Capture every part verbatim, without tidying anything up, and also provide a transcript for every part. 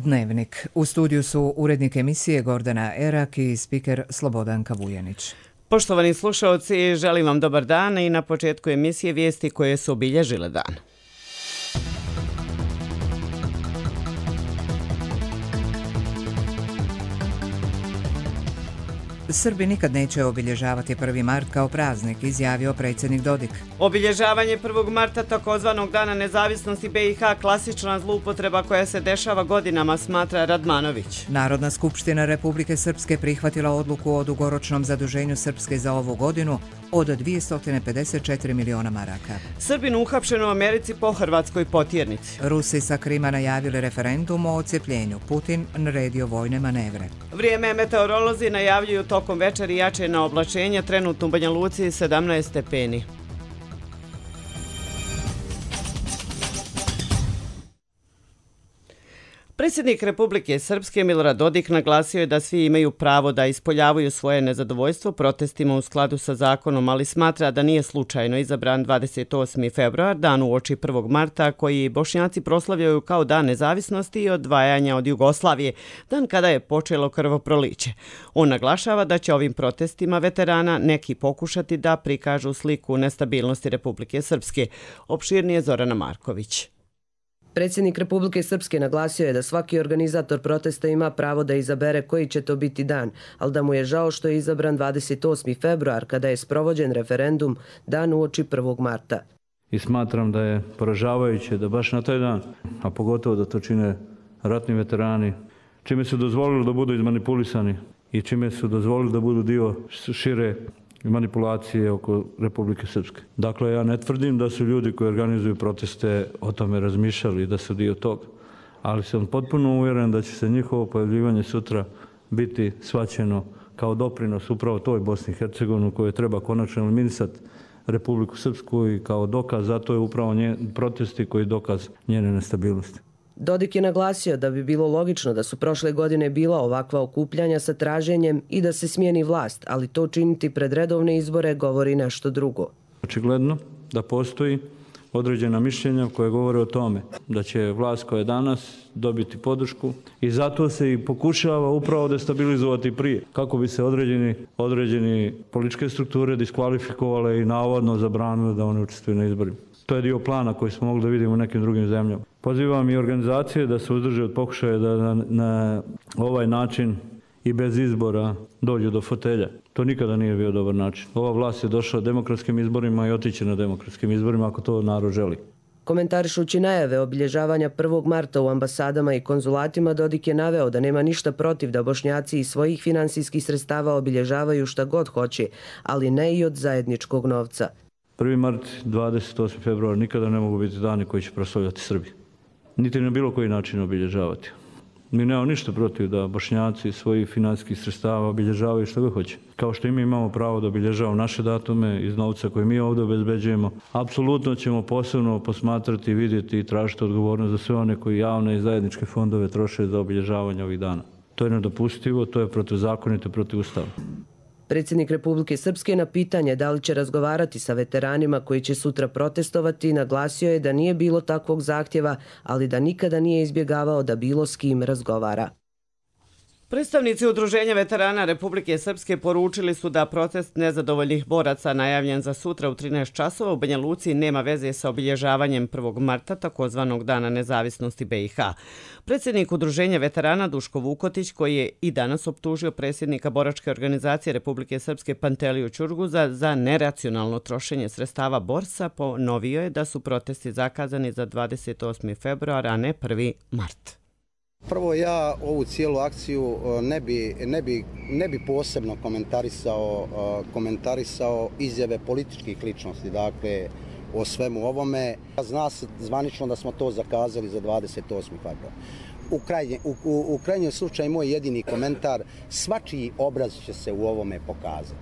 Dnevnik. U studiju su urednik emisije Gordana Erak i spiker Slobodanka Vujanić. Poštovani slušalci, želim vam dobar dan i na početku emisije vijesti koje su obilježile dan. Srbi nikad neće obilježavati prvi mart kao praznik, izjavio predsjednik Dodik. Obilježavanje prvog marta, takozvanog Dana nezavisnosti B i H, klasična zloupotreba koja se dešava godinama, smatra Radmanović. Narodna skupština Republike Srpske prihvatila odluku o dugoročnom zaduženju Srpske za ovu godinu od dvjesto pedeset četiri miliona maraka. Srbin uhapšen u Americi po hrvatskoj potjernici. Rusi sa Krima najavili referendum o odcepljenju. Putin naredio vojne manevre. Vrijeme meteorolozi najavljuju tokom večeri jače na oblačenje, trenutno u Banja Luci sedamnaest stepeni. Predsjednik Republike Srpske Milorad Dodik naglasio je da svi imaju pravo da ispoljavaju svoje nezadovoljstvo protestima u skladu sa zakonom, ali smatra da nije slučajno izabran dvadeset osmi februar, dan uoči prvog marta, koji Bošnjaci proslavljaju kao dan nezavisnosti i odvajanja od Jugoslavije, dan kada je počelo krvoproliće. On naglašava da će ovim protestima veterana neki pokušati da prikažu sliku nestabilnosti Republike Srpske. Opširnije Zorana Marković. Predsjednik Republike Srpske naglasio je da svaki organizator protesta ima pravo da izabere koji će to biti dan, ali da mu je žao što je izabran dvadeset osmi februar kada je sprovođen referendum dan uoči prvog marta. I smatram da je poražavajuće da baš na taj dan, a pogotovo da to čine ratni veterani, čime su dozvolili da budu izmanipulisani i čime su dozvolili da budu dio šire manipulacije oko Republike Srpske. Dakle, ja ne tvrdim da su ljudi koji organizuju proteste o tome razmišljali i da su dio toga, ali sam potpuno uvjeren da će se njihovo pojavljivanje sutra biti shvaćeno kao doprinos upravo toj Bosni i Hercegovini koje treba konačno eliminisati Republiku Srpsku i kao dokaz, zato je upravo nje, protesti koji je dokaz njene nestabilnosti. Dodik je naglasio da bi bilo logično da su prošle godine bila ovakva okupljanja sa traženjem i da se smijeni vlast, ali to činiti pred redovne izbore govori nešto drugo. Očigledno da postoji određena mišljenja koje govore o tome da će vlast koja je danas dobiti podršku i zato se i pokušava upravo destabilizovati prije, kako bi se određeni, određeni političke strukture diskvalifikovale i navodno zabranile da one učestvuju na izborima. To je dio plana koji smo mogli da vidimo u nekim drugim zemljama. Pozivam i organizacije da se uzdrže od pokušaja da na, na ovaj način i bez izbora dođu do fotelja. To nikada nije bio dobar način. Ova vlast je došla demokratskim izborima i otiće na demokratskim izborima ako to narod želi. Komentarišući najave obilježavanja prvog marta u ambasadama i konzulatima, Dodik je naveo da nema ništa protiv da Bošnjaci iz svojih finansijskih sredstava obilježavaju šta god hoće, ali ne i od zajedničkog novca. prvi mart, dvadeset osmi februar nikada ne mogu biti dani koji će proslavljati Srbi. Niti na bilo koji način obilježavati. Mi nemamo ništa protiv da Bošnjaci svojih financijskih sredstava obilježavaju što god hoće. Kao što i mi imamo pravo da obilježavamo naše datume iz novca koje mi ovdje obezbeđujemo. Apsolutno ćemo posebno posmatrati, vidjeti i tražiti odgovornost za sve one koji javne i zajedničke fondove troše za obilježavanje ovih dana. To je nedopustivo, to je protuzakonito, protivustavno. Predsjednik Republike Srpske na pitanje da li će razgovarati sa veteranima koji će sutra protestovati naglasio je da nije bilo takvog zahtjeva, ali da nikada nije izbjegavao da bilo s kim razgovara. Predstavnici Udruženja veterana Republike Srpske poručili su da protest nezadovoljnih boraca najavljen za sutra u trinaest časova u Banja Luci nema veze sa obilježavanjem prvog marta, takozvanog Dana nezavisnosti B i H. Predsjednik Udruženja veterana Duško Vukotić, koji je i danas optužio predsjednika boračke organizacije Republike Srpske Panteliju Ćurguza za neracionalno trošenje sredstava borsa, ponovio je da su protesti zakazani za dvadeset osmi februar, a ne prvi mart. Prvo, ja ovu cijelu akciju ne bi, ne bi, ne bi posebno komentarisao, komentarisao izjave političkih ličnosti, dakle, o svemu ovome. Zna se zvanično da smo to zakazali za dvadeset osmi februar. U, krajnje, u, u, u krajnjem slučaju moj jedini komentar, svačiji obraz će se u ovome pokazati.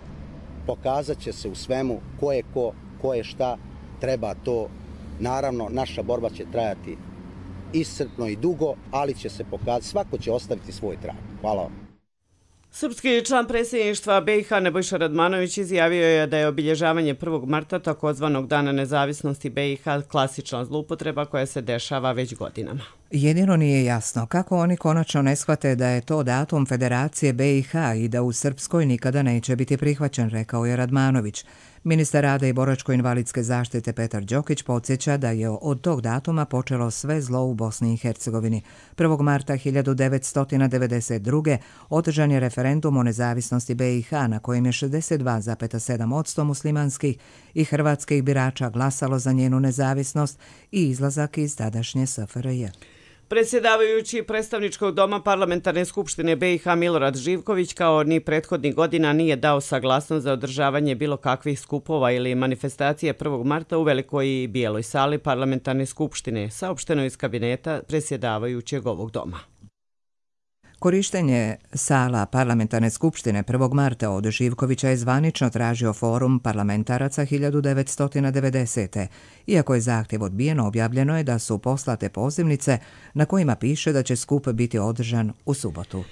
Pokazat će se u svemu ko je ko, ko je šta, treba to. Naravno, naša borba će trajati iscrpno i dugo, ali će se pokazati, svako će ostaviti svoj trag. Hvala vam. Srpski član predsjedništva B i H Nebojša Radmanović izjavio je da je obilježavanje prvog marta, takozvanog Dana nezavisnosti B i H, klasična zloupotreba koja se dešava već godinama. Jedino nije jasno kako oni konačno ne shvate da je to datum Federacije be i ha i da u Srpskoj nikada neće biti prihvaćen, rekao je Radmanović. Ministar rada i boračko-invalidske zaštite Petar Đokić podsjeća da je od tog datuma počelo sve zlo u Bosni i Hercegovini. prvog marta hiljadu devetsto devedeset druge. održan je referendum o nezavisnosti be i ha na kojem je šezdeset dva zarez sedam posto muslimanskih i hrvatskih birača glasalo za njenu nezavisnost i izlazak iz tadašnje es fe er je. Predsjedavajući predstavničkog doma Parlamentarne skupštine be i ha Milorad Živković kao ni prethodnih godina nije dao saglasnost za održavanje bilo kakvih skupova ili manifestacije prvog marta u Velikoj i Bijeloj sali Parlamentarne skupštine, saopšteno iz kabineta predsjedavajućeg ovog doma. Korištenje sala Parlamentarne skupštine prvog marta od Živkovića je zvanično tražio Forum parlamentaraca hiljadu devetsto devedesete. Iako je zahtjev odbijen, objavljeno je da su poslate pozivnice na kojima piše da će skup biti održan u subotu.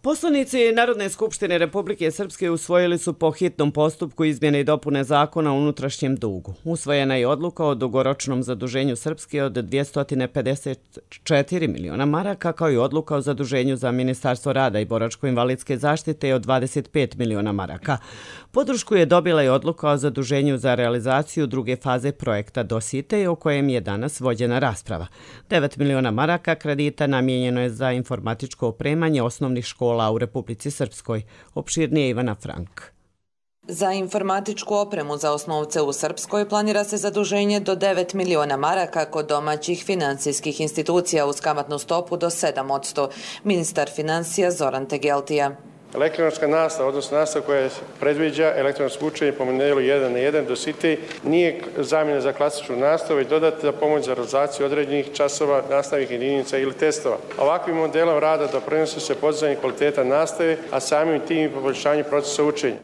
Poslanici Narodne skupštine Republike Srpske usvojili su po hitnom postupku izmjene i dopune zakona o unutrašnjem dugu. Usvojena je odluka o dugoročnom zaduženju Srpske od dvjesto pedeset četiri miliona maraka, kao i odluka o zaduženju za Ministarstvo rada i boračko-invalidske zaštite od dvadeset pet miliona maraka. Podršku je dobila i odluka o zaduženju za realizaciju druge faze projekta Dositej, o kojem je danas vođena rasprava. devet miliona maraka kredita namijenjeno je za informatičko opremanje osnovnih škola u Republici Srpskoj. Opširnije Ivana Frank. Za informatičku opremu za osnovce u Srpskoj planira se zaduženje do devet miliona maraka kod domaćih financijskih institucija uz kamatnu stopu do sedam posto. Ministar financija Zoran Tegeltija. Elektronska nastava, odnosno nastava koja predviđa elektronsko učenje po modelu jedan na jedan Dositej, nije zamjena za klasičnu nastavu, već dodatna pomoć za realizaciju određenih časova, nastavnih jedinica ili testova. Ovakvim modelom rada doprinosi se podizanju kvaliteta nastave, a samim tim i poboljšanju procesa učenja.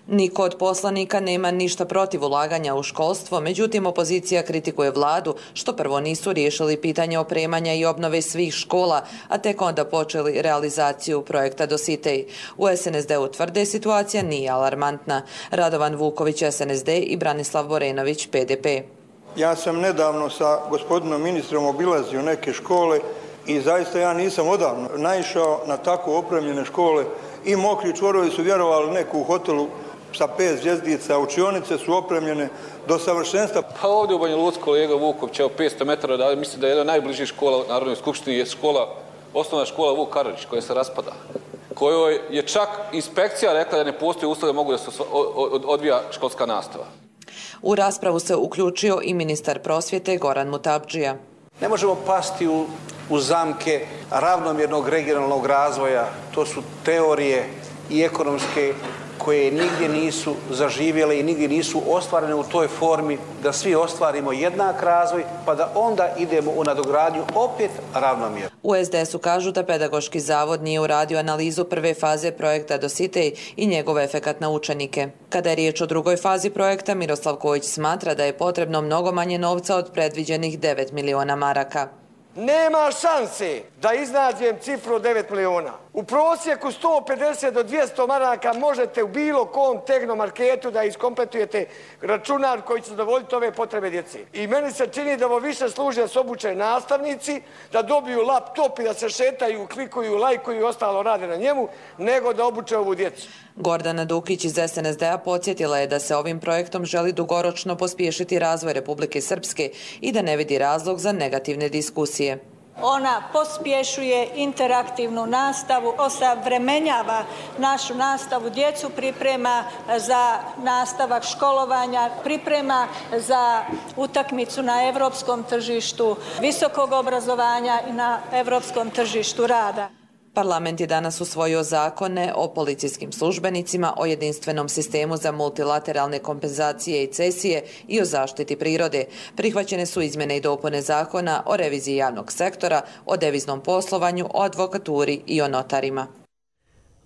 Niko od poslanika nema ništa protiv ulaganja u školstvo, međutim opozicija kritikuje vladu što prvo nisu riješili pitanje opremanja i obnove svih škola, a tek onda počeli realizaciju projekta Dositej. U es en es de u tvrde situacija nije alarmantna. Radovan Vuković es en es de i Branislav Borenović pe de pe. Ja sam nedavno sa gospodinom ministrom obilazio neke škole i zaista ja nisam odavno naišao na tako opremljene škole. I Mokri čvorovi su vjerovali neku u hotelu sa pet zvjezdica, učionice su opremljene do savršenstva. Pa ovdje u Banja Luci kolega Vuković, evo petsto metara, da, mislim da je jedna najbližih škola u Narodnoj skupštini je škola, osnovna škola Vuk Karadžić koja se raspada, kojoj je čak inspekcija rekla da ne postoji uslove da mogu da se odvija školska nastava. U raspravu se uključio i ministar prosvjete Goran Mutabdžija. Ne možemo pasti u, u zamke ravnomjernog regionalnog razvoja. To su teorije i ekonomske koje nigdje nisu zaživjele i nigdje nisu ostvarene u toj formi da svi ostvarimo jednak razvoj, pa da onda idemo u nadogradnju opet ravnomjerno. U es de esu kažu da Pedagoški zavod nije uradio analizu prve faze projekta Dositej i njegov efekat na učenike. Kada je riječ o drugoj fazi projekta, Miroslav Kojić smatra da je potrebno mnogo manje novca od predviđenih devet miliona maraka. Nema šanse da iznađem cifru od devet miliona. U prosjeku sto pedeset do dvjesto maraka možete u bilo kom tehnomarketu da iskompletujete računar koji će zadovoljiti ove potrebe djece. I meni se čini da ovo više služi da se obuče nastavnici, da dobiju laptop i da se šetaju, klikuju, lajkuju i ostalo rade na njemu, nego da obuče ovu djecu. Gordana Dukić iz es en es de-a podsjetila je da se ovim projektom želi dugoročno pospješiti razvoj Republike Srpske i da ne vidi razlog za negativne diskusije. Ona pospješuje interaktivnu nastavu, osavremenjava našu nastavu, djecu priprema za nastavak školovanja, priprema za utakmicu na evropskom tržištu visokog obrazovanja i na evropskom tržištu rada. Parlament je danas usvojio zakone o policijskim službenicima, o jedinstvenom sistemu za multilateralne kompenzacije i cesije i o zaštiti prirode. Prihvaćene su izmjene i dopune zakona o reviziji javnog sektora, o deviznom poslovanju, o advokaturi i o notarima.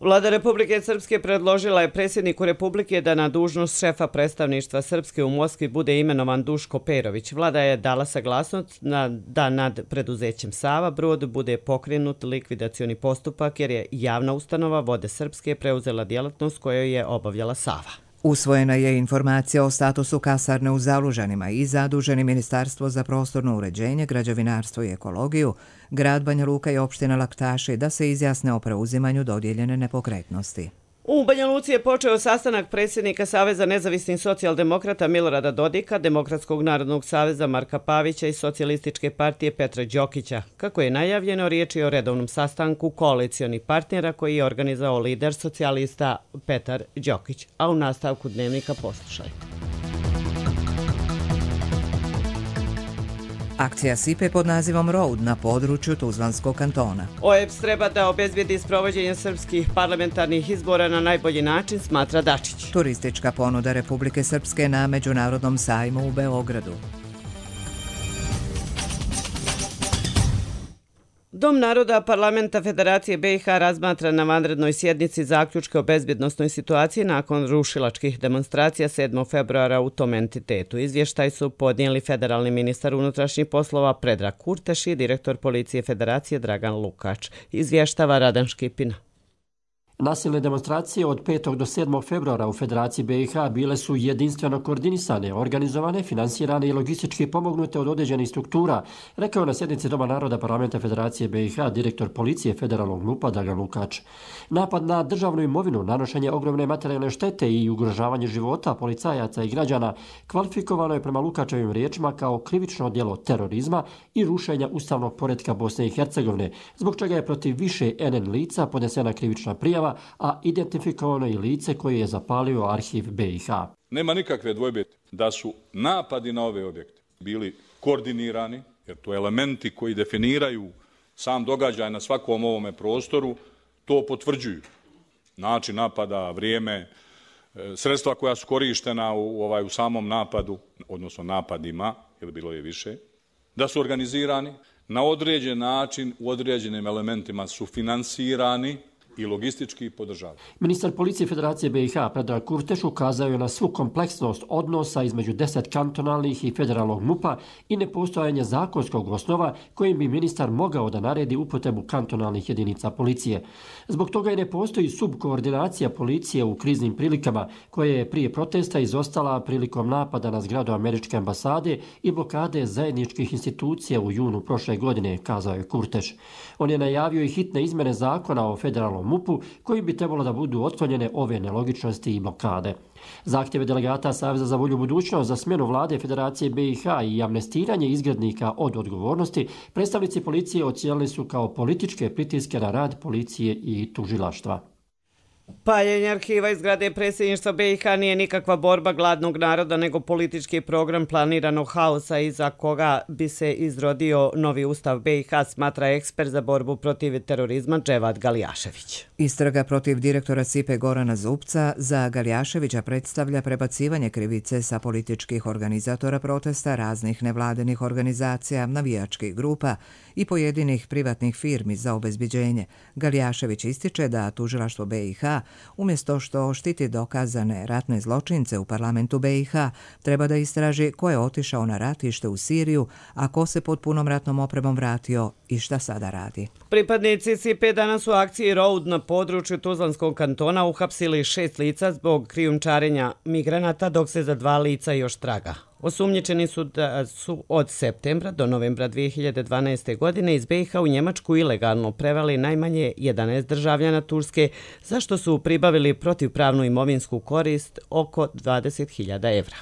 Vlada Republike Srpske predložila je predsjedniku Republike da na dužnost šefa predstavništva Srpske u Moskvi bude imenovan Duško Perović. Vlada je dala saglasnost da nad preduzećem Sava Brod bude pokrenut likvidacioni postupak jer je javna ustanova Vode Srpske preuzela djelatnost koju je obavljala Sava. Usvojena je informacija o statusu kasarne u Zalužanima i zaduženi Ministarstvo za prostorno uređenje, građevinarstvo i ekologiju, grad Banja Luka i opština Laktaši da se izjasne o preuzimanju dodijeljene nepokretnosti. U Banja Luci je počeo sastanak predsjednika Saveza nezavisnih socijaldemokrata Milorada Dodika, Demokratskog narodnog saveza Marka Pavića i Socijalističke partije Petra Đokića. Kako je najavljeno, riječ je o redovnom sastanku koalicionih partnera koji je organizao lider socijalista Petar Đokić. A u nastavku dnevnika poslušajte. Akcija Sipe pod nazivom Road na području Tuzlanskog kantona. O E P S treba da obezbijedi sprovođenje srpskih parlamentarnih izbora na najbolji način, smatra Dačić. Turistička ponuda Republike Srpske na Međunarodnom sajmu u Beogradu. Dom naroda Parlamenta Federacije B i H razmatra na vanrednoj sjednici zaključke o bezbjednosnoj situaciji nakon rušilačkih demonstracija sedmog februara u tom entitetu. Izvještaj su podnijeli federalni ministar unutrašnjih poslova Predrag Kurteš i direktor policije Federacije Dragan Lukač. Izvještava Radan Škipina. Nasilne demonstracije od petog do sedmog februara u Federaciji B i H bile su jedinstveno koordinisane, organizovane, finansirane i logistički pomognute od određenih struktura, rekao na sjednici Doma naroda Parlamenta Federacije B i H direktor policije federalnog M U P-a Dragan Lukač. Napad na državnu imovinu, nanošenje ogromne materijalne štete i ugrožavanje života policajaca i građana kvalifikovano je prema Lukačevim riječima kao krivično djelo terorizma i rušenja ustavnog poretka Bosne i Hercegovine, zbog čega je protiv više N N lica podnesena krivična prijava, a identifikovano i lice koje je zapalio arhiv B i H. Nema nikakve dvojbe da su napadi na ove objekte bili koordinirani, jer to elementi koji definiraju sam događaj na svakom ovome prostoru, to potvrđuju. Način napada, vrijeme, sredstva koja su korištena u, ovaj, u samom napadu, odnosno napadima, jer bilo je više, da su organizirani, na određen način, u određenim elementima su finansirani i logistički podržavaju. Ministar policije Federacije B i H Predrag Kurteš ukazao je na svu kompleksnost odnosa između deset kantonalnih i federalnog M U P-a i nepostojanje zakonskog osnova kojim bi ministar mogao da naredi upotrebu kantonalnih jedinica policije. Zbog toga i ne postoji subkoordinacija policije u kriznim prilikama koje je prije protesta izostala prilikom napada na zgradu američke ambasade i blokade zajedničkih institucija u junu prošle godine, kazao je Kurteš. On je najavio i hitne izmene zakona o federalnom M U P-u koji bi trebalo da budu otklonjene ove nelogičnosti i blokade. Zahtjeve delegata Saveza za bolju budućnost za smjenu vlade Federacije B i H i amnestiranje izgrednika od odgovornosti predstavnici policije ocijenili su kao političke pritiske na rad policije i tužilaštva. Paljenje arhiva iz zgrade predsjedništva B i H nije nikakva borba gladnog naroda, nego politički program planiranog haosa iza koga bi se izrodio novi ustav B i H, smatra ekspert za borbu protiv terorizma Dževad Galijašević. Istraga protiv direktora Sipe Gorana Zupca za Galijaševića predstavlja prebacivanje krivice sa političkih organizatora protesta, raznih nevladenih organizacija, navijačkih grupa i pojedinih privatnih firmi za obezbiđenje. Galijašević ističe da tužilaštvo B i H umjesto što štiti dokazane ratne zločince u parlamentu B i H, treba da istraži ko je otišao na ratište u Siriju, a ko se pod punom ratnom opremom vratio i šta sada radi. Pripadnici Sipe danas u akciji Road na području Tuzlanskog kantona uhapsili šest lica zbog krijumčarenja migranata, dok se za dva lica još traga. Osumnjičeni su da su od septembra do novembra dvije hiljade dvanaeste. godine iz B i H u Njemačku ilegalno preveli najmanje jedanaest državljana Turske, za što su pribavili protivpravnu imovinsku korist oko dvadeset hiljada evra.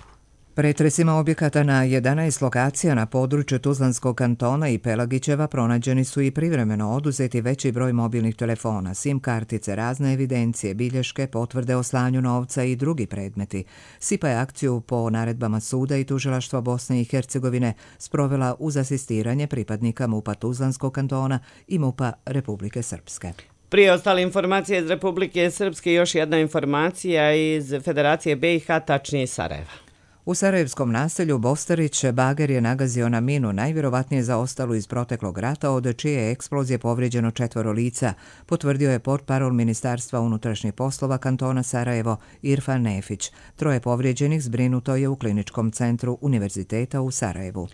Pretresima objekata na jedanaest lokacija na području Tuzlanskog kantona i Pelagićeva pronađeni su i privremeno oduzeti veći broj mobilnih telefona, sim kartice, razne evidencije, bilješke, potvrde o slanju novca i drugi predmeti. Sipa je akciju po naredbama suda i tužilaštva Bosne i Hercegovine sprovela uz asistiranje pripadnika M U P-a Tuzlanskog kantona i M U P-a Republike Srpske. Prije ostale informacije iz Republike Srpske, još jedna informacija iz Federacije B i H, tačnije iz Sarajeva. U sarajevskom naselju Bostarić bager je nagazio na minu najvjerovatnije zaostalu iz proteklog rata, od čije je eksplozije povrijeđeno četvoro lica, potvrdio je portparol Ministarstva unutrašnjih poslova kantona Sarajevo Irfan Nefić. Troje povrijeđenih zbrinuto je u kliničkom centru Univerziteta u Sarajevu.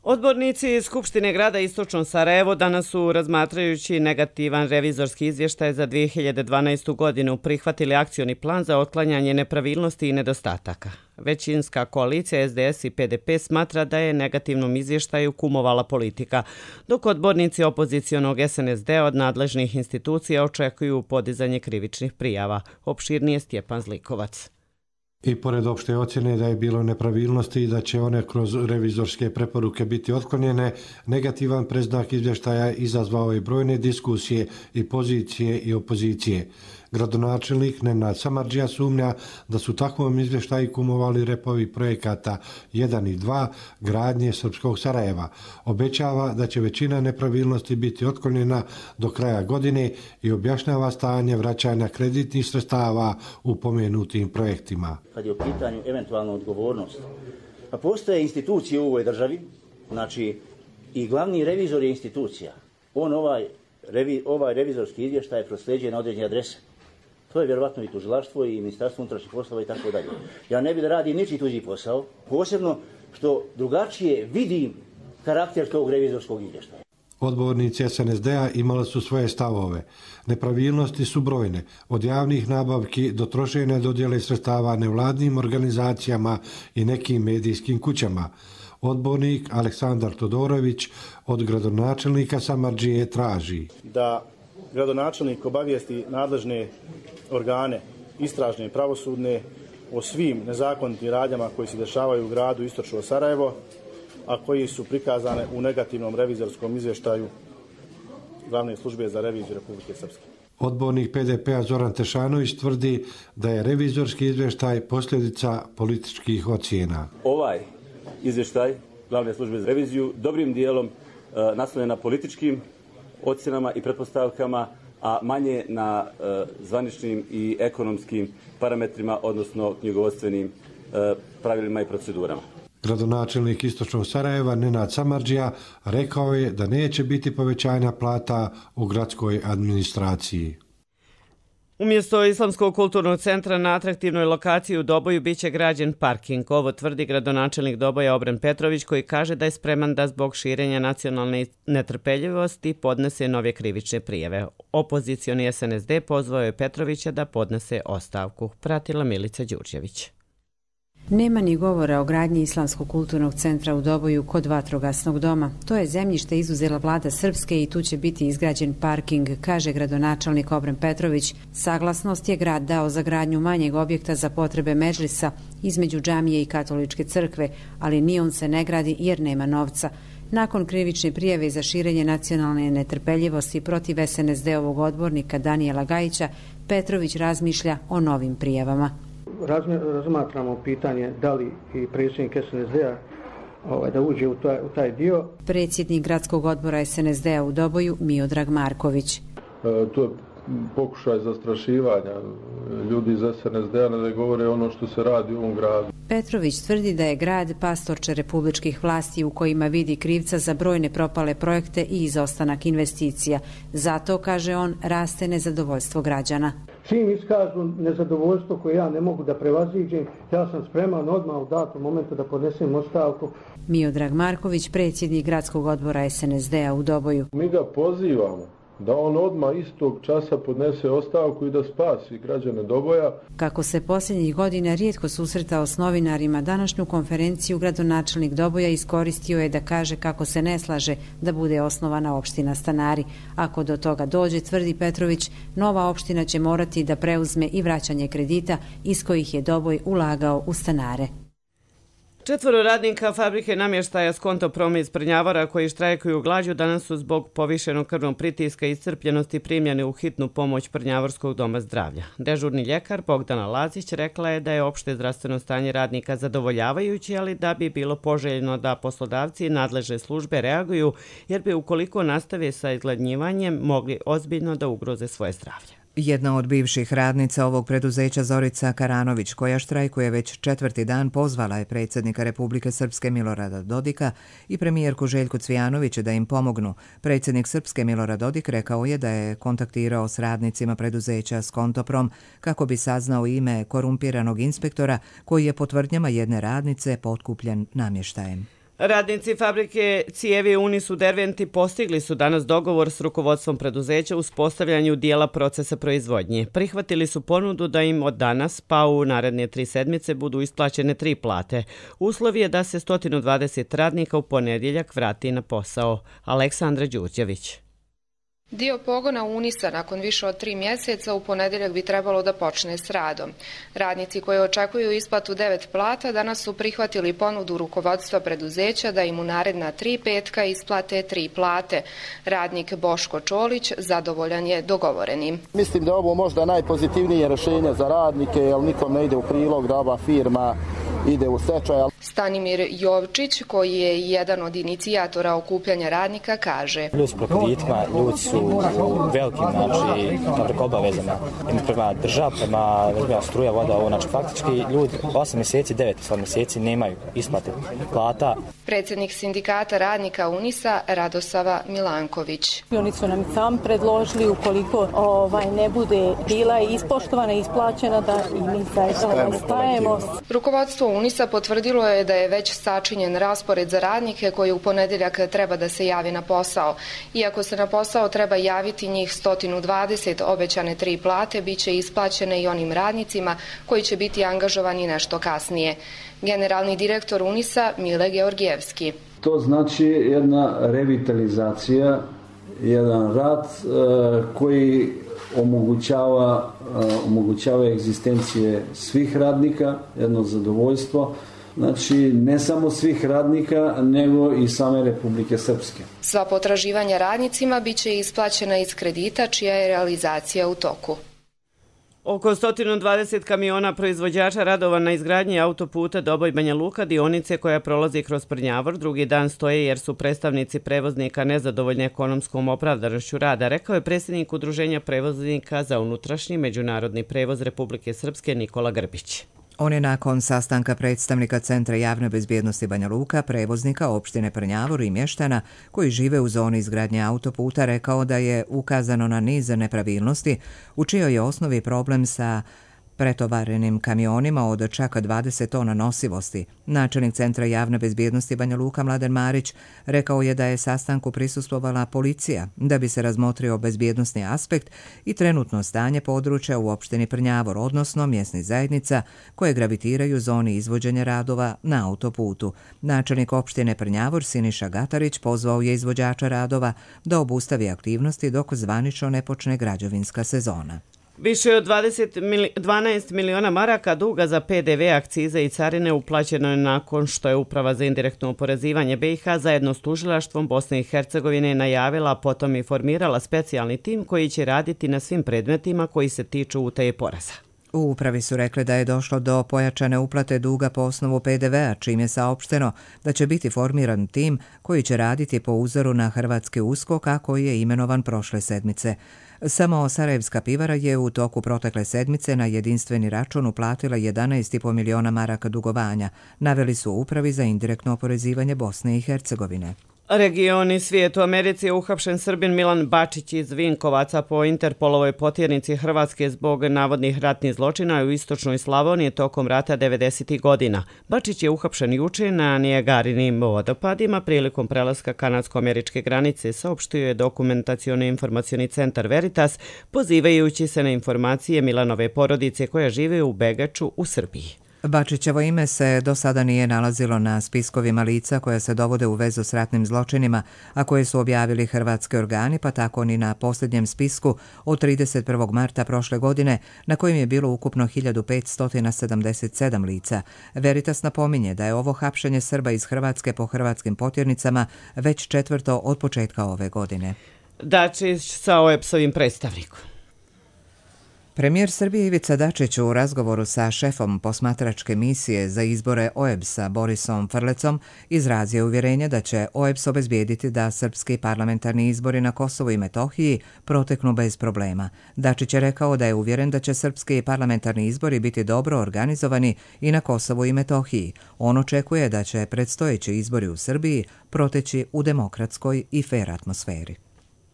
Odbornici Skupštine grada Istočno Sarajevo danas su, razmatrajući negativan revizorski izvještaj za dvije hiljade dvanaestu. godinu, prihvatili akcioni plan za otklanjanje nepravilnosti i nedostataka. Većinska koalicija S D S i P D P smatra da je negativnom izvještaju kumovala politika, dok odbornici opozicionog S N S D od nadležnih institucija očekuju podizanje krivičnih prijava. Opširnije Stjepan Zlikovac. I pored opšte ocjene da je bilo nepravilnosti i da će one kroz revizorske preporuke biti otklonjene, negativan predznak izvještaja izazvao je brojne diskusije i pozicije i opozicije. Gradonačelnik Nenad Samardžija sumnja da su takvom izvještaju kumovali repovi projekata jedan i dva gradnje Srpskog Sarajeva. Obećava da će većina nepravilnosti biti otklonjena do kraja godine i objašnjava stanje vraćanja kreditnih sredstava u pomenutim projektima. Kad je u pitanju eventualna odgovornost, pa postoje institucije u ovoj državi, znači i glavni revizor je institucija. On ovaj, revi, ovaj revizorski izvještaj prosljeđuje na određene adrese. To je vjerovatno i tužilaštvo i Ministarstvo unutrašnjih poslova i tako dalje. Ja ne bih da radim ničiji tuđi posao, posebno što drugačije vidim karakter tog revizorskog izvještaja. Odbornici S N S D-a imali su svoje stavove. Nepravilnosti su brojne, od javnih nabavki do trošenja dodjele sredstava nevladnim organizacijama i nekim medijskim kućama. Odbornik Aleksandar Todorović od gradonačelnika Samardžije traži da gradonačelnik obavijesti nadležne organe, istražne i pravosudne, o svim nezakonitim radnjama koji se dešavaju u gradu Istočno Sarajevo, a koji su prikazane u negativnom revizorskom izvještaju Glavne službe za reviziju Republike Srpske. Odbornik P D P-a Zoran Tešanović tvrdi da je revizorski izvještaj posljedica političkih ocjena. Ovaj izvještaj Glavne službe za reviziju dobrim dijelom e, naslonjen na političkim ocjenama i pretpostavkama, a manje na e, zvaničnim i ekonomskim parametrima, odnosno knjigovodstvenim e, pravilima i procedurama. Gradonačelnik Istočnog Sarajeva Nenad Samardžija rekao je da neće biti povećanja plata u gradskoj administraciji. Umjesto Islamskog kulturnog centra na atraktivnoj lokaciji u Doboju biće građen parking. Ovo tvrdi gradonačelnik Doboja Obren Petrović, koji kaže da je spreman da zbog širenja nacionalne netrpeljivosti podnese nove krivične prijave. Opozicioni S N S D pozvao je Petrovića da podnese ostavku. Pratila Milica Đurđević. Nema ni govora o gradnji Islamskog kulturnog centra u Doboju kod vatrogasnog doma. To je zemljište izuzela vlada Srpske i tu će biti izgrađen parking, kaže gradonačelnik Obren Petrović. Saglasnost je grad dao za gradnju manjeg objekta za potrebe medžlisa između džamije i katoličke crkve, ali ni on se ne gradi jer nema novca. Nakon krivične prijave za širenje nacionalne netrpeljivosti protiv S N S D-ovog odbornika Danijela Gajića, Petrović razmišlja o novim prijavama. Razmatramo pitanje da li i predsjednik S N S D-a ovaj, da uđe u taj, u taj dio. Predsjednik gradskog odbora S N S D-a u Doboju Miodrag Marković. E, to je pokušaj zastrašivanja ljudi iz S N S D-a da govore ono što se radi u ovom gradu. Petrović tvrdi da je grad pastorče republičkih vlasti u kojima vidi krivca za brojne propale projekte i izostanak investicija. Zato, kaže on, raste nezadovoljstvo građana. Čim iskažu nezadovoljstvo koje ja ne mogu da prevaziđem, ja sam spreman odmah u datom momentu da podnesem ostavku. Miodrag Marković, predsjednik gradskog odbora S N S D-a u Doboju. Mi ga pozivamo da on odmah istog časa podnese ostavku i da spasi građane Doboja. Kako se posljednjih godina rijetko susretao s novinarima, današnju konferenciju gradonačelnik Doboja iskoristio je da kaže kako se ne slaže da bude osnovana opština Stanari. Ako do toga dođe, tvrdi Petrović, nova opština će morati da preuzme i vraćanje kredita iz kojih je Doboj ulagao u stanare. Četvoro radnika fabrike namještaja Skontoproma iz Prnjavora koji štrajkuju glađu danas su zbog povišenog krvnog pritiska i iscrpljenosti primljeni u hitnu pomoć Prnjavorskog doma zdravlja. Dežurni ljekar Bogdana Lazić rekla je da je opšte zdravstveno stanje radnika zadovoljavajuće, ali da bi bilo poželjno da poslodavci i nadležne službe reaguju, jer bi ukoliko nastave sa izgladnjivanjem mogli ozbiljno da ugroze svoje zdravlje. Jedna od bivših radnica ovog preduzeća Zorica Karanović, koja štrajkuje već četvrti dan, pozvala je predsjednika Republike Srpske Milorada Dodika i premijerku Željku Cvijanović da im pomognu. Predsjednik Srpske Milorad Dodik rekao je da je kontaktirao s radnicima preduzeća Skontoprom kako bi saznao ime korumpiranog inspektora koji je po tvrdnjama jedne radnice potkupljen namještajem. Radnici fabrike cijevi Unis u Derventi postigli su danas dogovor s rukovodstvom preduzeća u uspostavljanju dijela procesa proizvodnje. Prihvatili su ponudu da im od danas pa u naredne tri sedmice budu isplaćene tri plate. Uslov je da se sto dvadeset radnika u ponedjeljak vrati na posao. Aleksandra Đurđević. Dio pogona Unisa nakon više od tri mjeseca u ponedjeljak bi trebalo da počne s radom. Radnici koji očekuju isplatu devet plata danas su prihvatili ponudu rukovodstva preduzeća da im u naredna tri petka isplate tri plate. Radnik Boško Čolić zadovoljan je dogovorenim. Mislim da je ovo možda najpozitivnije rješenje za radnike, jer nikom ne ide u prilog da ova firma ide u stečaj. Stanimir Jovčić, koji je jedan od inicijatora okupljanja radnika, kaže: Ljudi su preko ritma, ljudi su u velikim, znači, preko obavezama prema država, prema struja, voda, ovo, znači, faktički ljudi osam mjeseci, devet mjeseci nemaju isplate plata. Predsjednik sindikata radnika Unisa Radosava Milanković. Oni su nam sam predložili ukoliko ovaj, ne bude bila ispoštovana i isplaćena da i mi zajedno stajemo. Rukovodstvo Unisa potvrdilo je da je već sačinjen raspored za radnike koji u ponedjeljak treba da se javi na posao. Iako se na posao treba javiti njih sto dvadeset, obećane tri plate bit će isplaćene i onim radnicima koji će biti angažovani nešto kasnije. Generalni direktor Unisa Mile Georgijevski. To znači jedna revitalizacija, jedan rad e, koji omogućava, e, omogućava egzistencije svih radnika, jedno zadovoljstvo. Znači, ne samo svih radnika, nego i same Republike Srpske. Sva potraživanja radnicima bit će isplaćena iz kredita čija je realizacija u toku. Oko sto dvadeset kamiona proizvođača radova na izgradnji autoputa Doboj-Banja Luka, dionice koja prolazi kroz Prnjavor, drugi dan stoje jer su predstavnici prevoznika nezadovoljni ekonomskom opravdanošću rada, rekao je predsjednik Udruženja prevoznika za unutrašnji međunarodni prevoz Republike Srpske Nikola Grbić. On je nakon sastanka predstavnika Centra javne bezbjednosti Banja Luka, prevoznika opštine Prnjavor i mještana koji žive u zoni izgradnje autoputa rekao da je ukazano na niz nepravilnosti u čijoj je osnovi problem sa pretovarenim kamionima od čak dvadeset tona nosivosti. Načelnik Centra javne bezbjednosti Banja Luka Mladen Marić rekao je da je sastanku prisustvovala policija da bi se razmotrio bezbjednosni aspekt i trenutno stanje područja u opštini Prnjavor, odnosno mjesnih zajednica koje gravitiraju zoni izvođenja radova na autoputu. Načelnik opštine Prnjavor Siniša Gatarić pozvao je izvođača radova da obustavi aktivnosti dok zvanično ne počne građevinska sezona. Više od dvanaest miliona maraka duga za P D V, akcize i carine uplaćeno je nakon što je Uprava za indirektno oporezivanje B i H zajedno s tužilaštvom Bosne i Hercegovine najavila, potom i formirala specijalni tim koji će raditi na svim predmetima koji se tiču utaje poreza. U upravi su rekli da je došlo do pojačane uplate duga po osnovu P D V-a, čim je saopšteno da će biti formiran tim koji će raditi po uzoru na hrvatski USKOK, a koji je imenovan prošle sedmice. Samo Sarajevska pivara je u toku protekle sedmice na jedinstveni račun uplatila jedanaest i po miliona maraka dugovanja, naveli su u Upravi za indirektno oporezivanje Bosne i Hercegovine. Regioni svijet. U Americi je uhapšen Srbin Milan Bačić iz Vinkovaca po Interpolovoj potjernici Hrvatske zbog navodnih ratnih zločina u istočnoj Slavoniji tokom rata devedesetih godina. Bačić je uhapšen juče na Nijagarinim vodopadima prilikom prelaska kanadsko-američke granice, saopštio je dokumentacioni informacioni centar Veritas, pozivajući se na informacije Milanove porodice koja žive u Begaču u Srbiji. Bačićevo ime se do sada nije nalazilo na spiskovima lica koja se dovode u vezu s ratnim zločinima, a koje su objavili hrvatski organi, pa tako ni na posljednjem spisku od trideset prvog marta prošle godine, na kojem je bilo ukupno hiljadu petsto sedamdeset sedam lica. Veritas napominje da je ovo hapšenje Srba iz Hrvatske po hrvatskim potjernicama već četvrto od početka ove godine. Dačić sa O E B S-ovim predstavnikom. Premijer Srbije Ivica Dačić u razgovoru sa šefom posmatračke misije za izbore O E B S-a Borisom Frlecom izrazio uvjerenje da će O E B S obezbijediti da srpski parlamentarni izbori na Kosovu i Metohiji proteknu bez problema. Dačić je rekao da je uvjeren da će srpski parlamentarni izbori biti dobro organizovani i na Kosovu i Metohiji. On očekuje da će predstojeći izbori u Srbiji proteći u demokratskoj i fer atmosferi.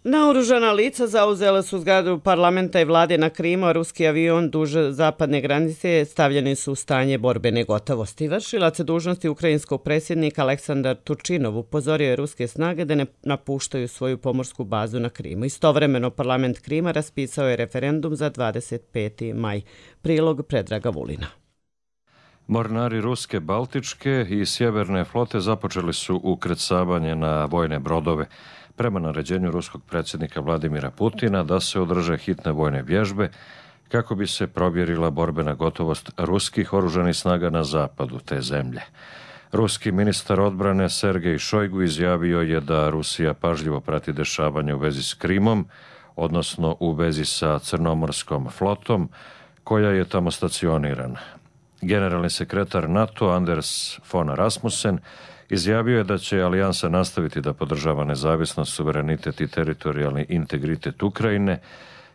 Naoružana lica zauzela su zgradu parlamenta i vlade na Krimu, a ruski avion duž zapadne granice stavljeni su u stanje borbene gotovosti. Vršilac dužnosti ukrajinskog predsjednika Aleksandar Turčinov upozorio je ruske snage da ne napuštaju svoju pomorsku bazu na Krimu. Istovremeno parlament Krima raspisao je referendum za dvadeset peti maj. Prilog Predraga Vulina. Mornari ruske, baltičke i sjeverne flote započeli su ukrcavanje na vojne brodove prema naređenju ruskog predsjednika Vladimira Putina da se održe hitne vojne vježbe kako bi se provjerila borbena gotovost ruskih oružanih snaga na zapadu te zemlje. Ruski ministar odbrane Sergej Šojgu izjavio je da Rusija pažljivo prati dešavanje u vezi s Krimom, odnosno u vezi sa Crnomorskom flotom koja je tamo stacionirana. Generalni sekretar NATO Anders von Rasmussen izjavio je da će alijansa nastaviti da podržava nezavisnost, suverenitet i teritorijalni integritet Ukrajine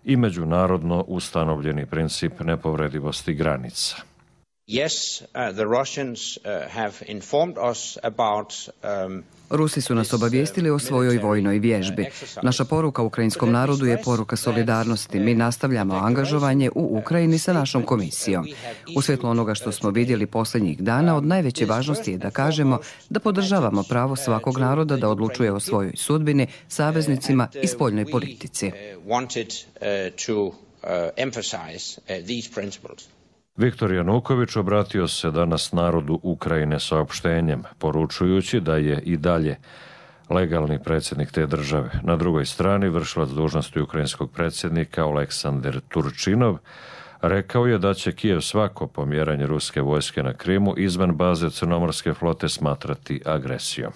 i međunarodno ustanovljeni princip nepovredivosti granica. Yes, uh, the Russians uh, have informed us about um, Rusi su nas obavijestili o svojoj vojnoj vježbi. Naša poruka ukrajinskom narodu je poruka solidarnosti. Mi nastavljamo angažovanje u Ukrajini sa našom komisijom. U svjetlu onoga što smo vidjeli posljednjih dana, od najveće važnosti je da kažemo da podržavamo pravo svakog naroda da odlučuje o svojoj sudbini, saveznicima i spoljnoj politici. Viktor Januković obratio se danas narodu Ukrajine saopštenjem, poručujući da je i dalje legalni predsjednik te države. Na drugoj strani vršilac dužnosti ukrajinskog predsjednika Oleksandar Turčinov rekao je da će Kijev svako pomjeranje ruske vojske na Krimu izvan baze Crnomorske flote smatrati agresijom.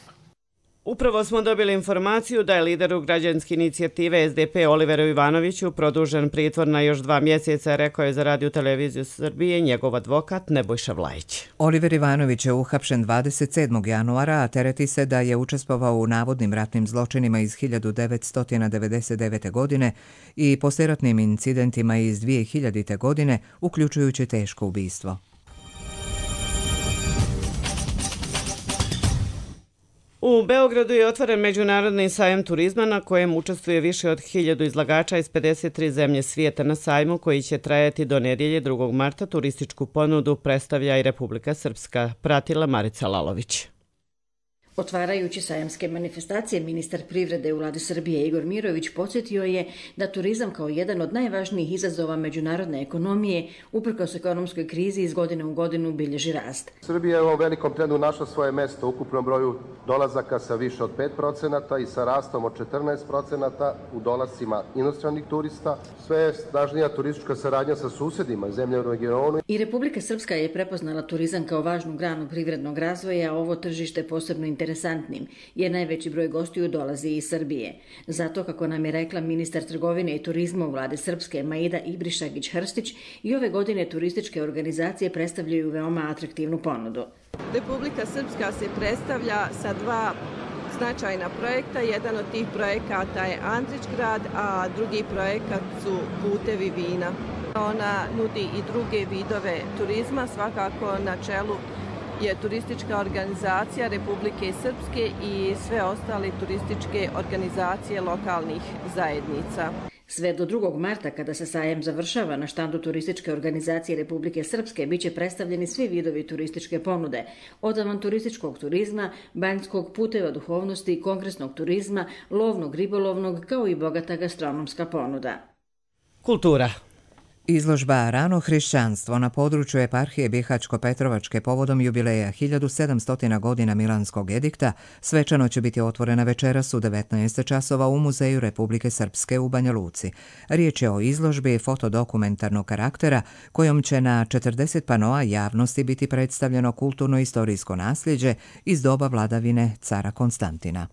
Upravo smo dobili informaciju da je lideru građanske inicijative S D P Oliveru Ivanoviću produžen pritvor na još dva mjeseca, rekao je za Radio televiziju Srbije njegov advokat Nebojša Vlajić. Oliver Ivanović je uhapšen dvadeset sedmog januara, a tereti se da je učestvovao u navodnim ratnim zločinima iz hiljadu devetsto devedeset devete. godine i poslijeratnim incidentima iz dvije hiljadite. godine, uključujući teško ubistvo. U Beogradu je otvoren međunarodni sajam turizma na kojem učestvuje više od hiljadu izlagača iz pedeset tri zemlje svijeta. Na sajmu, koji će trajati do nedjelje drugog marta, turističku ponudu predstavlja i Republika Srpska, pratila Marica Lalović. Otvarajući sajamske manifestacije, ministar privrede u vladi Srbije Igor Mirović podsjetio je da turizam kao jedan od najvažnijih izazova međunarodne ekonomije uprkos ekonomskoj krizi iz godine u godinu bilježi rast. Srbija je u ovom velikom trendu našla svoje mesto u ukupnom broju dolazaka sa više od pet procenata i sa rastom od četrnaest procenata u dolascima inostranih turista. Sve je snažnija turistička saradnja sa susjedima i zemljama u regionu. I Republika Srpska je prepoznala turizam kao važnu granu privrednog razvoja, a ovo tržište posebno interesantnim, jer najveći broj gostiju dolazi iz Srbije. Zato, kako nam je rekla ministar trgovine i turizma u vlade Srpske Maida Ibrišagić-Hrstić, i ove godine turističke organizacije predstavljaju veoma atraktivnu ponudu. Republika Srpska se predstavlja sa dva značajna projekta. Jedan od tih projekata je Andrić grad, a drugi projekat su Putevi vina. Ona nudi i druge vidove turizma, svakako na čelu je turistička organizacija Republike Srpske i sve ostale turističke organizacije lokalnih zajednica. Sve do drugog marta, kada se sajam završava, na štandu turističke organizacije Republike Srpske biće predstavljeni svi vidovi turističke ponude, od avanturističkog turizma, banjskog, puteva duhovnosti, kongresnog turizma, lovnog, ribolovnog, kao i bogata gastronomska ponuda. Kultura. Izložba Rano hrišćanstvo na području eparhije Bihaćko-Petrovačke povodom jubileja hiljadu sedamsto godina Milanskog edikta svečano će biti otvorena večeras u devetnaest časova u Muzeju Republike Srpske u Banja Luci. Riječ je o izložbi fotodokumentarnog karaktera kojom će na četrdeset panoa javnosti biti predstavljeno kulturno-istorijsko nasljeđe iz doba vladavine cara Konstantina.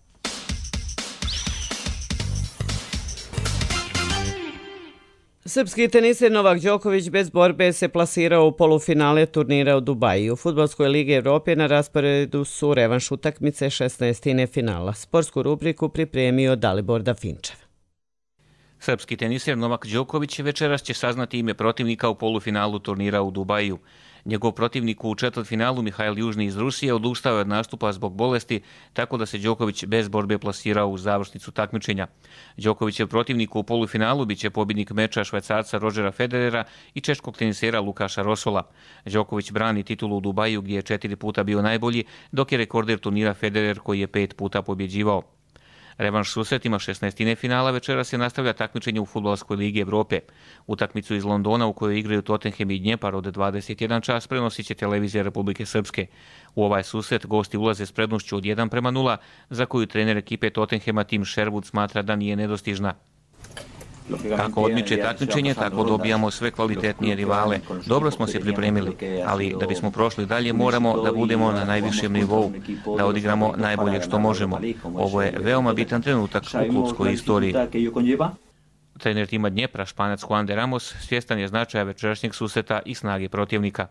Srpski teniser Novak Đoković bez borbe se plasirao u polufinale turnira u Dubaju. U Fudbalskoj ligi Evrope na rasporedu su revanš utakmice šesnaestine finala. Sportsku rubriku pripremio Dalibor Dafinčev. Srpski teniser Novak Đoković večeras će saznati ime protivnika u polufinalu turnira u Dubaju. Njegov protivnik u četvrtfinalu Mihail Južni iz Rusije odustao je od nastupa zbog bolesti, tako da se Đoković bez borbe plasirao u završnicu takmičenja. Đokovićev protivnik u polufinalu biće pobjednik meča Švajcarca Rodgera Federera i češkog tenisera Lukaša Rosola. Đoković brani titulu u Dubaju gdje je četiri puta bio najbolji, dok je rekorder turnira Federer koji je pet puta pobjeđivao. Revanš susretima šesnaestine finala večera se nastavlja takmičenje u Fudbalskoj ligi Evrope. Utakmicu iz Londona u kojoj igraju Tottenham i Dnjepar od dvadeset jedan čas prenosit će televizija Republike Srpske. U ovaj susret gosti ulaze s prednošću od jedan prema nula, za koju trener ekipe Tottenhama Tim Sherwood smatra da nije nedostižna. Kako odmiče takmičenje, tako dobijamo sve kvalitetnije rivale. Dobro smo se pripremili, ali da bismo prošli dalje moramo da budemo na najvišem nivou, da odigramo najbolje što možemo. Ovo je veoma bitan trenutak u klubskoj istoriji. Trener tima Dnjepra, Španac Juan de Ramos, svjestan je značaja večerašnjeg susreta i snage protivnika.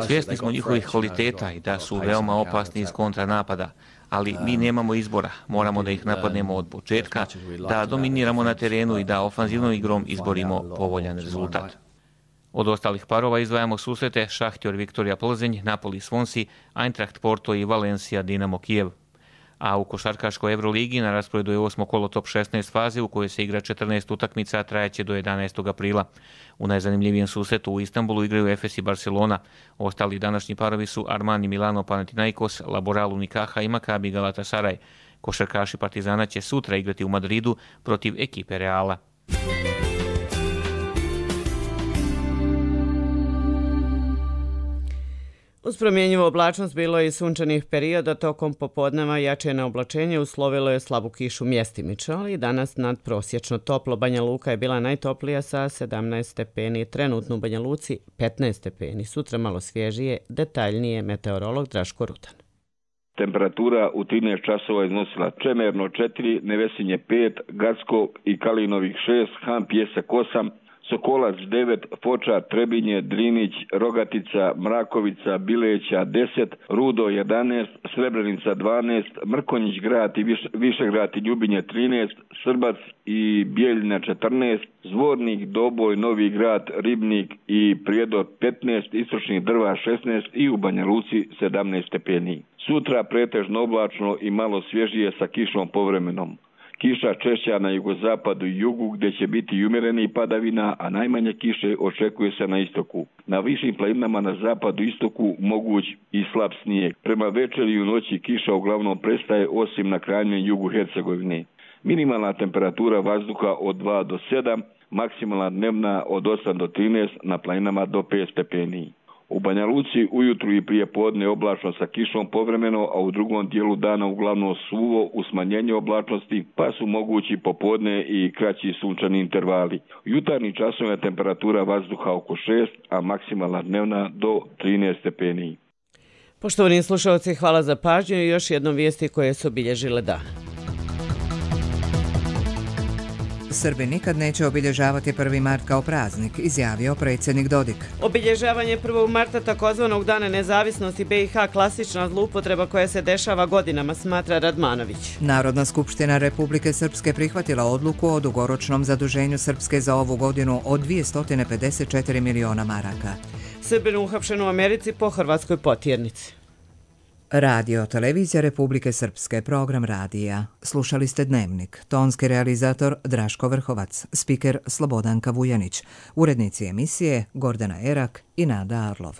Svjesni smo njihovih kvaliteta i da su veoma opasni iz kontranapada, ali mi nemamo izbora, moramo da ih napadnemo od početka, da dominiramo na terenu i da ofanzivnom igrom izborimo povoljan rezultat. Od ostalih parova izdvajamo susrete Šahtjor Viktorija Plzeň, Napoli Swansea, Eintracht Porto i Valencia Dinamo Kijev. A u košarkaškoj Euroligi na rasporedu je osmo kolo top šesnaest faze u kojoj se igra četrnaest utakmica, a trajeće do jedanaestog aprila. U najzanimljivijem susretu u Istanbulu igraju Efes i Barcelona. Ostali današnji parovi su Armani Milano Panathinaikos, Laboral Unikaha i Maccabi Galatasaray. Košarkaši Partizana će sutra igrati u Madridu protiv ekipe Reala. Uz promjenjivu oblačnost bilo je i sunčanih perioda, tokom popodneva jače na oblačenje uslovilo je slabu kišu mjestimično, ali danas nadprosječno toplo. Banja Luka je bila najtoplija sa sedamnaest stepeni, trenutno u Banja Luci petnaest stepeni, sutra malo svježije, detaljnije meteorolog Draško Rutan. Temperatura u trinaest časova iznosila Čemerno četiri, Nevesinje pet, Gacko i Kalinovih šest, Han Pjesak osam, Sokolac devet, Foča, Trebinje, Drinić, Rogatica, Mrakovica, Bileća deset, Rudo jedanaest, Srebrenica dvanaest, Mrkonjić grad i Viš, Višegrad i Ljubinje trinaest, Srbac i Bijeljina četrnaest, Zvornik, Doboj, Novi grad, Ribnik i Prijedor petnaest, Istočni Drva šesnaest i u Banja Luci sedamnaest stepeni. Sutra pretežno oblačno i malo svježije sa kišom povremenom. Kiša češća na jugozapadu i jugu gdje će biti i umjereni padavina, a najmanje kiše očekuje se na istoku. Na višim planinama na zapadu i istoku moguć i slab snijeg. Prema večeri i u noći kiša uglavnom prestaje osim na krajnjem jugu Hercegovine. Minimalna temperatura vazduha od dva do sedam, maksimalna dnevna od osam do trinaest, na planinama do pet stepeni. U Banja Luci ujutru i prije podne oblačno sa kišom povremeno, a u drugom dijelu dana uglavnom suvo u smanjenju oblačnosti, pa su mogući popodne i kraći sunčani intervali. U jutarnjim časovima je temperatura vazduha oko šest, a maksimalna dnevna do trinaest stepeni. Poštovani slušalci, hvala za pažnju i još jednom vijesti koje su obilježile dan. Srbi nikad neće obilježavati prvi mart kao praznik, izjavio predsjednik Dodik. Obilježavanje prvog marta takozvanog dana nezavisnosti B i H klasična zloupotreba koja se dešava godinama, smatra Radmanović. Narodna skupština Republike Srpske prihvatila odluku o dugoročnom zaduženju Srpske za ovu godinu od dvjesto pedeset četiri miliona maraka. Srbin uhapšen u Americi po hrvatskoj potjernici. Radio Televizija Republike Srpske, program radija. Slušali ste Dnevnik. Tonski realizator Draško Vrhovac, spiker Slobodanka Vujanić, urednici emisije Gordana Erak i Nada Arlov.